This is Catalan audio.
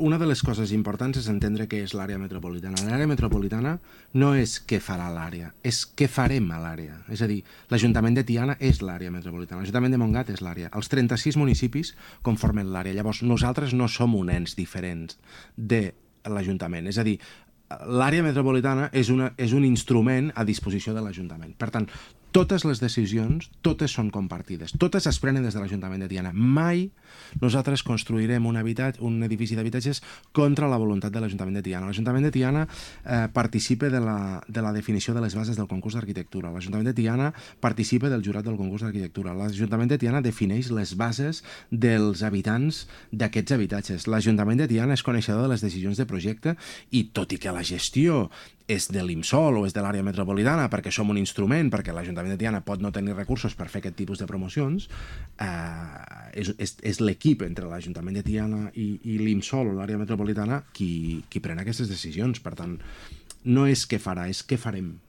una de les coses importants és entendre què és l'àrea metropolitana. L'àrea metropolitana no és què farà l'àrea, és què farem a l'àrea. És a dir, l'Ajuntament de Tiana és l'àrea metropolitana, l'Ajuntament de Montgat és l'àrea. Els 36 municipis conformen l'àrea. Llavors, nosaltres no som un ens diferents de l'Ajuntament. És a dir, l'àrea metropolitana és un instrument a disposició de l'Ajuntament. Per tant, totes les decisions, totes són compartides, totes es prenen des de l'Ajuntament de Tiana. Mai nosaltres construirem un edifici d'habitatges contra la voluntat de l'Ajuntament de Tiana. L'Ajuntament de Tiana participa de la definició de les bases del concurs d'arquitectura. L'Ajuntament de Tiana participa del jurat del concurs d'arquitectura. L'Ajuntament de Tiana defineix les bases dels habitants d'aquests habitatges. L'Ajuntament de Tiana és coneixedor de les decisions de projecte i, tot i que la gestió és de l'IMSOL o és de l'àrea metropolitana perquè som un instrument, perquè l'Ajuntament de Tiana pot no tenir recursos per fer aquest tipus de promocions, és l'equip entre l'Ajuntament de Tiana i l'IMSOL o l'àrea metropolitana qui pren aquestes decisions. Per tant, no és què farà, és què farem.